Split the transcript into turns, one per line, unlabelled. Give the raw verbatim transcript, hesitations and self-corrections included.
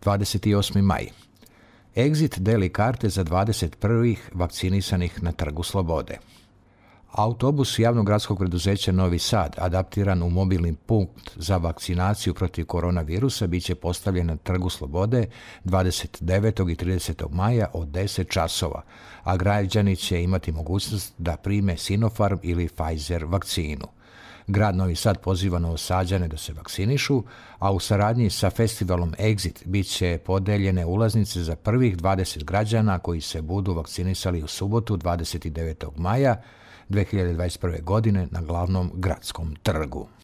dvadeset osmi maj. Exit deli karte za dvadeset prvih vakcinisanih na Trgu Slobode. Autobus javnog gradskog preduzeća Novi Sad, adaptiran u mobilni punkt za vakcinaciju protiv koronavirusa, bit će postavljen na Trgu Slobode dvadeset devetog i tridesetog maja od deset časova, a građani će imati mogućnost da prime Sinopharm ili Pfizer vakcinu. Grad Novi Sad poziva Novosađane da se vakcinišu, a u saradnji sa festivalom Exit bit će podeljene ulaznice za prvih dvadeset građana koji se budu vakcinisali u subotu dvadeset devetog maja dve hiljade dvadeset prve. godine na glavnom gradskom trgu.